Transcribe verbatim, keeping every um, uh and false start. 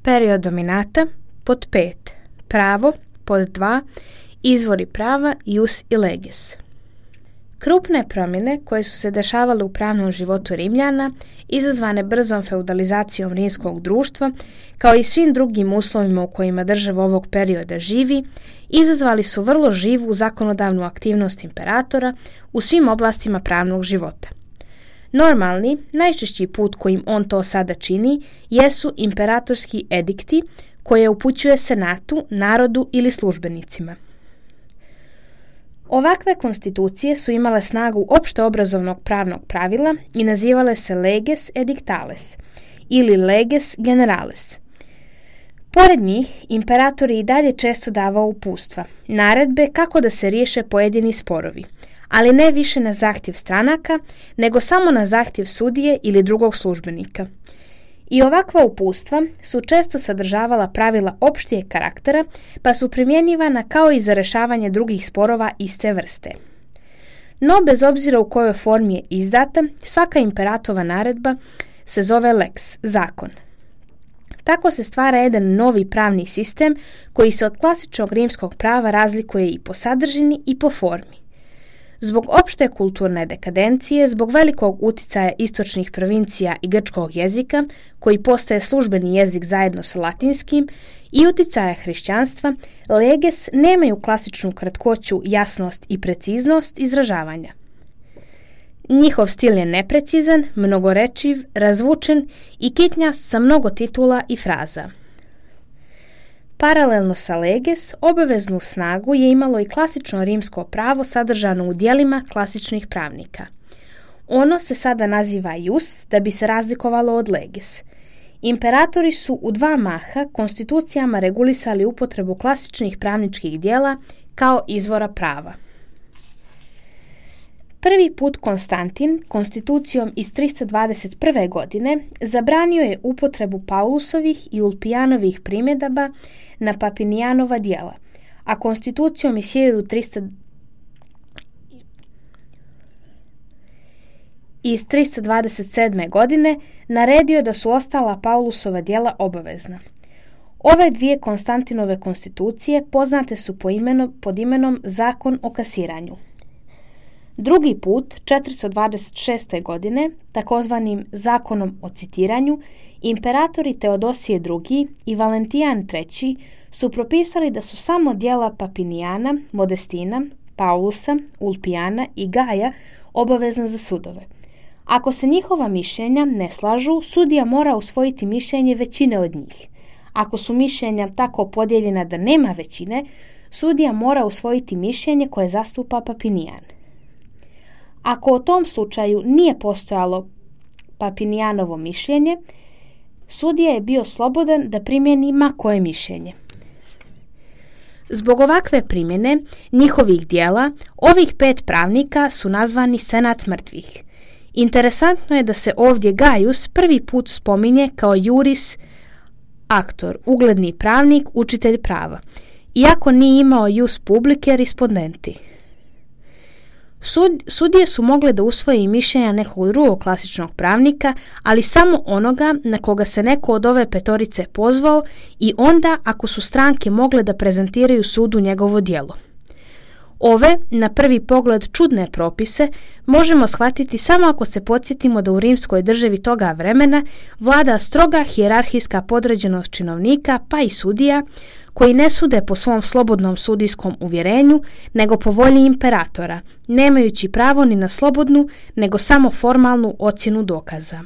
Period dominata pod pet. Pravo pod dva. Izvori prava ius i leges. Krupne promjene koje su se dešavale u pravnom životu Rimljana, izazvane brzom feudalizacijom rimskog društva, kao i svim drugim uslovima u kojima država ovog perioda živi, izazvali su vrlo živu zakonodavnu aktivnost imperatora u svim oblastima pravnog života. Normalni, najčešći put kojim on to sada čini, jesu imperatorski edikti koje upućuje senatu, narodu ili službenicima. Ovakve konstitucije su imale snagu opšteobrazovnog pravnog pravila i nazivale se leges edictales ili leges generales. Pored njih, imperator je i dalje često davao uputstva, naredbe kako da se riješe pojedini sporovi, ali ne više na zahtjev stranaka, nego samo na zahtjev sudije ili drugog službenika. I ovakva uputstva su često sadržavala pravila opštijeg karaktera, pa su primjenjivana kao i za rešavanje drugih sporova iste vrste. No, bez obzira u kojoj formi je izdata, svaka imperatova naredba se zove lex, zakon. Tako se stvara jedan novi pravni sistem koji se od klasičnog rimskog prava razlikuje i po sadržini i po formi. Zbog opšte kulturne dekadencije, zbog velikog uticaja istočnih provincija i grčkog jezika, koji postaje službeni jezik zajedno sa latinskim, i uticaja hrišćanstva, leges nemaju klasičnu kratkoću, jasnost i preciznost izražavanja. Njihov stil je neprecizan, mnogorečiv, razvučen i kitnjast sa mnogo titula i fraza. Paralelno sa leges, obaveznu snagu je imalo i klasično rimsko pravo sadržano u dijelima klasičnih pravnika. Ono se sada naziva ius da bi se razlikovalo od leges. Imperatori su u dva maha konstitucijama regulisali upotrebu klasičnih pravničkih dijela kao izvora prava. Prvi put Konstantin, konstitucijom iz tristo dvadeset prve. godine, zabranio je upotrebu Paulusovih i Ulpijanovih primjedaba na Papinijanova djela, a konstitucijom iz hiljadu tristo iz tristo dvadeset sedme. godine naredio da su ostala Paulusova djela obavezna. Ove dvije Konstantinove konstitucije poznate su po imenu, pod imenom Zakon o kasiranju. Drugi put, četiristo dvadeset šeste. godine, takozvanim Zakonom o citiranju, imperatori Teodosije drugi. i Valentijan treći. su propisali da su samo djela Papinijana, Modestina, Paulusa, Ulpijana i Gaja obavezna za sudove. Ako se njihova mišljenja ne slažu, sudija mora usvojiti mišljenje većine od njih. Ako su mišljenja tako podijeljena da nema većine, sudija mora usvojiti mišljenje koje zastupa Papinijan. Ako u tom slučaju nije postojalo Papinijanovo mišljenje, sudija je bio slobodan da primjeni ma koje mišljenje. Zbog ovakve primjene njihovih dijela, ovih pet pravnika su nazvani senat mrtvih. Interesantno je da se ovdje Gaius prvi put spominje kao juris actor, ugledni pravnik, učitelj prava, iako nije imao jus publice respondenti. Sud, sudije su mogle da usvoje i mišljenja nekog drugog klasičnog pravnika, ali samo onoga na koga se neko od ove petorice pozvao i onda ako su stranke mogle da prezentiraju sudu njegovo djelo. Ove, na prvi pogled čudne propise, možemo shvatiti samo ako se podsjetimo da u rimskoj državi toga vremena vlada stroga hijerarhijska podređenost činovnika pa i sudija, koji ne sude po svom slobodnom sudijskom uvjerenju, nego po volji imperatora, nemajući pravo ni na slobodnu, nego samo formalnu ocjenu dokaza.